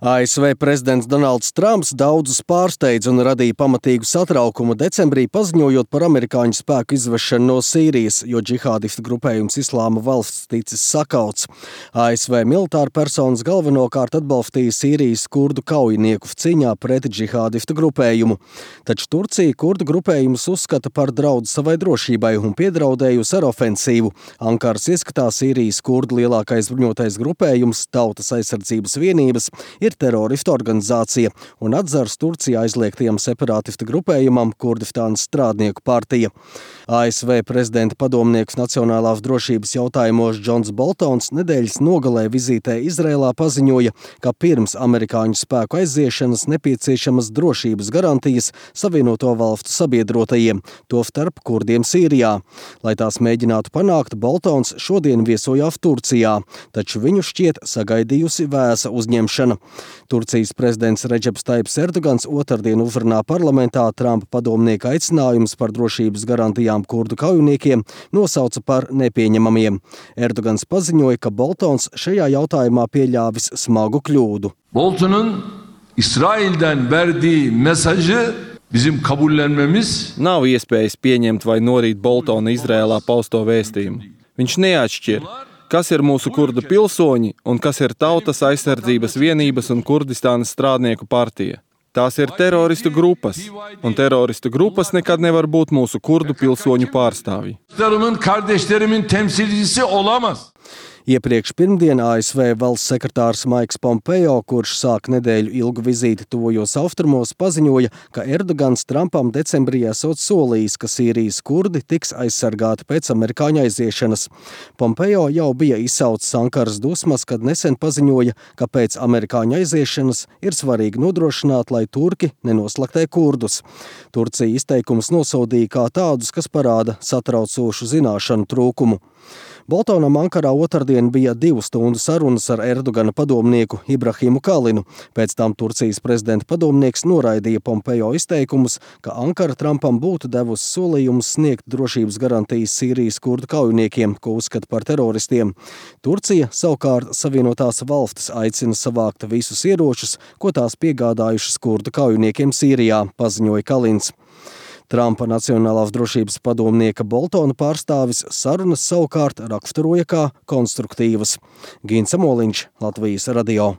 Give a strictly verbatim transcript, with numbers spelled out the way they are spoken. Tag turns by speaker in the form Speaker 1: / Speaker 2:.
Speaker 1: A S V prezidents Donalds Trumps daudzus pārsteidza un radīja pamatīgu satraukumu decembrī, paziņojot par amerikāņu spēku izvešanu no Sīrijas, jo džihādistu grupējums Islāma valsts ticis sakauts. A S V militāra personas galvenokārt atbalstīja Sīrijas kurdu kaujinieku cīņā pret džihādistu grupējumu. Taču Turcija kurdu grupējumus uzskata par draudu savai drošībai un piedraudējusi ar ofensīvu. Ankaras ieskatā Sīrijas kurdu lielākais bruņotais grupējums Tautas aizsardzības vienības ir teroristu organizācija un atzars Turcijā aizliegtajam separātistu grupējumam Kurdistānas strādnieku partija. A S V prezidenta padomnieks nacionālās drošības jautājumos Džons Boltons nedēļas nogalē vizītē Izrēlā paziņoja, ka pirms amerikāņu spēku aiziešanas nepieciešamas drošības garantijas Savienoto valstu sabiedrotajiem, tostarp kurdiem Sīrijā. Lai tās mēģinātu panākt, Boltons šodien viesojās Turcijā, taču viņu šķiet sagaidījusi vēsa uzņemšana. Turcijas prezidents Redžeps Taips Erdogans otrdien uzrunā parlamentā Trumpa padomnieka aicinājums par drošības garantijām kurdu kaujiniekiem nosauca par nepieņemamiem. Erdogans paziņoja, ka Boltons šajā jautājumā pieļāvis smagu kļūdu.
Speaker 2: Bolton'un İsrail'den verdiği mesajı bizim kabullenmemiz
Speaker 3: Nav iespējas pieņemt vai norīt Boltona Izrēlā pausto vēstījumu. Viņš neatšķir, kas ir mūsu kurdu pilsoņi un kas ir Tautas aizsardzības vienības un Kurdistānas strādnieku partija. Tās ir teroristu grupas, un teroristu grupas nekad nevar būt mūsu kurdu pilsoņu pārstāvji.
Speaker 2: Kardeşlerimin temsilcisi olamaz.
Speaker 1: Iepriekš pirmdien A S V valsts sekretārs Maiks Pompeo, kurš sāk nedēļu ilgu vizīti tuvojos austrumos, paziņoja, ka Erdogans Trumpam decembrī esot solījis, ka Sīrijas kurdi tiks aizsargāti pēc amerikāņu aiziešanas. Pompeo jau bija izsaucis Ankaras dusmas, kad nesen paziņoja, ka pēc amerikāņu aiziešanas ir svarīgi nodrošināt, lai turki nenoslaktē kurdus. Turcija izteikums nosodīja kā tādus, kas parāda satraucošu zināšanu trūkumu. Boltonam Ankarā otrdien bija divu stundu sarunas ar Erdogana padomnieku Ibrahimu Kalinu. Pēc tam Turcijas prezidenta padomnieks noraidīja Pompeo izteikumus, ka Ankara Trumpam būtu devusi solījumus sniegt drošības garantijas Sīrijas kurdu kaujiniekiem, ko uzskata par teroristiem. Turcija savukārt Savienotās valstis aicina savākt visus ieročus, ko tās piegādājušas kurdu kaujiniekiem Sīrijā, paziņoja Kalins. Trumpa nacionālās drošības padomnieka Boltona pārstāvis sarunas savukārt raksturoja kā konstruktīvas. Gins Amoliņš, Latvijas radio.